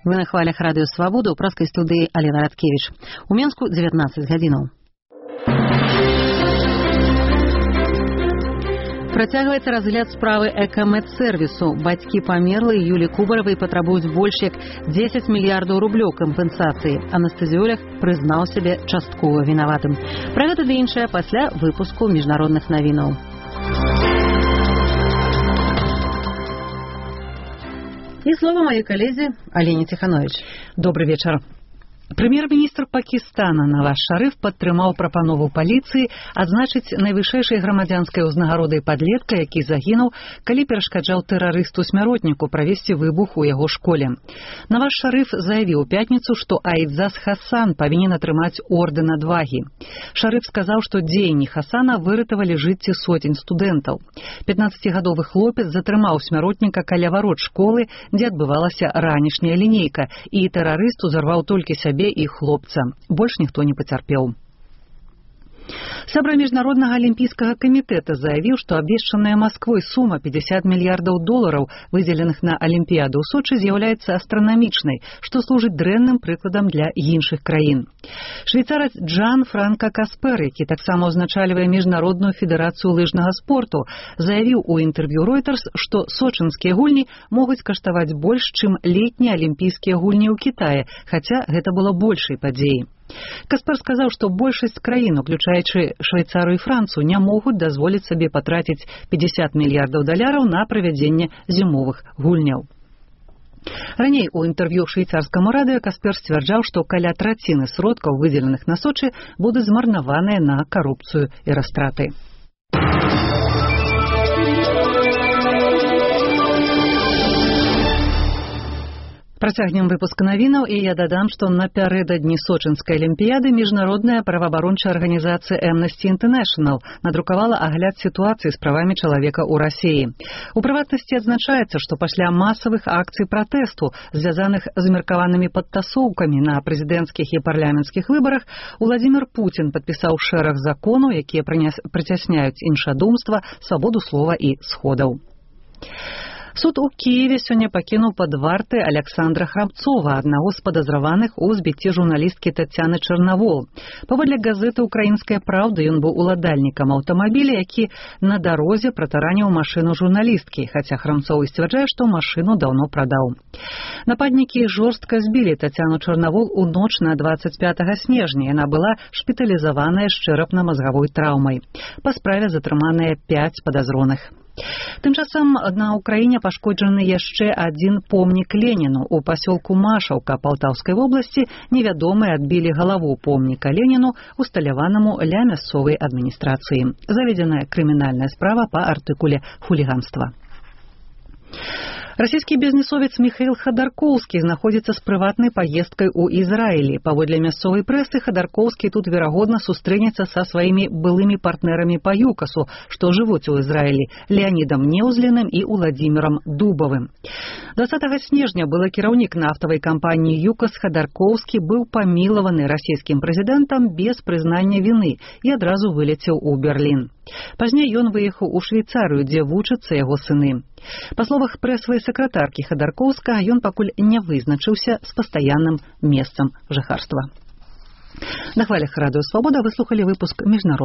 Вы на хвалях радыё Свабода, ў праскай студыі Алена Радкевіч. У Менску 19 гадзінаў. Працягваецца разгляд справы экамэд-сервісу. Бацькі памерлай Юлі Кубаравай патрабуюць больш як 10 мільярдаў рублёў кампенсацыі. Анестэзіолог прызнаў сябе часткова вінаватым. Пра гэта ды іншае пасля выпуску міжнародных навінаў. І слова маёй калезе Алене Ціхановіч. Добрый вечар. Прэм'ер-міністр Пакістана Наваз Шарыф падтрымаў прапанову паліцыі адзначыць найвышэйшай грамадзянскай узнагародай падлетка, які загінуў, калі перашкаджаў тэрарысту-смяротніку правесці выбух у яго школе. Наваз Шарыф заявіў у пятніцу, што Аідзас Хасан павінен атрымаць ордэн адвагі. Шарыф сказаў, што дзеянні Хасана выратавалі жыцці сотень студэнтаў. 15гадовы хлопец затрымаў смяротніка каля варот школы, дзе адбывалася ранішняя лінейка, і тэрарыст узарваў толькі сябе і хлопца. Больш ніхто не пацярпеў. Сябра міжнароднага алімпійскага камітэта заявіў, што абвешчаная Масквой сума 50 мільярдаў долараў, выдзеленых на Алімпіяду ў Сочы, з'яўляецца астранамічнай, што служыць дрэнным прыкладам для іншых краін. Швейцарац Джан Франка Каспер, які таксама ўзначальвае міжнародную федэрацыю лыжнага спорту, заявіў у інтэрв'ю Reuters, што сочынскія гульні могуць каштаваць больш, чым летнія алімпійскія гульні ў Кітаі, хаця гэта было большай падзеяй. Каспер сказаў, што большасць краін, уключаючы Швейцарыю і Францыю, не могуць дазволіць сабе патраціць 50 мільярдаў даляраў на правядзенне зімовых гульняў. Раней у інтэрв'ю швейцарскаму радыё Каспер сцвярджаў, што каля траціны сродкаў, выдзеленых на Сочы, будуць змарнаваныя на карупцыю і растраты. Працягнем выпуск навінаў, і я дадам, што напярэдадні Сочынскай алімпіяды міжнародная праваабарончая арганізацыя Amnesty International надрукавала агляд сітуацыі з правамі чалавека ў Расіі. У прыватнасці адзначаецца, што пасля масавых акцый пратэсту, звязаных з меркаванымі падтасоўкамі на прэзідэнцкіх і парламенцкіх выбарах, Уладзімір Пуцін падпісаў шэраг законаў, якія прыцясняюць іншадумства, свабоду слова і сходаў. Суд у Киеве сёння пакінуў пад вартай Александра Храмцова, аднаго з падазраваных у збіцці журналісткі Тацяны Чарнавол. Паводле газеты «Украінская праўда» ён быў уладальнікам аўтамабіля, які на дарозе пратараніў машыну журналісткі, хаця Храмцоў сцвярджае, што машыну даўно прадаў. Нападнікі жорстка збілі Тацяну Чарнавол у ноч на 25 снежня. Яна была шпіталізаваная з чэрапна-мазгавой траўмай. Па справе затрыманыя 5 падазроных. Тым часам на ўкраіне пашкоджаны яшчэ адзін помнік Леніну. У пасёлку Машаўка Палтаўскай вобласці невядомыя адбілі галаву помніка Леніну, усталяванаму ля мясцовай адміністрацыі. Заведзеная крымінальная справа па артыкуле хуліганства. Расійскі бізнесовец Міхаіл Хадаркоўскі знаходзіцца з прыватнай паездкай у Ізраілі. Паводле мясцовай прэсы, Хадаркоўскі тут, верагодна, сустрэнецца са сваімі былымі партнерамі па ЮКАСу, што жывуць у Ізраілі, Леанідам Неўзліным і Уладзімірам Дубавым. 20 снежня былы кіраўнік нафтавай кампаніі ЮКАС Хадаркоўскі быў памілаваны расійскім прэзідэнтам без прызнання віны і адразу вылецеў у Берлін. Пазней ён выехаў у Швейцарыю, дзе вучацца яго сыны. Па словах прэсавай сакратаркі Хадаркоўска, ён пакуль не вызначыўся з пастаянным месцам жыхарства. На хвалях радыё Свабода вы слухалі выпуск міжнародных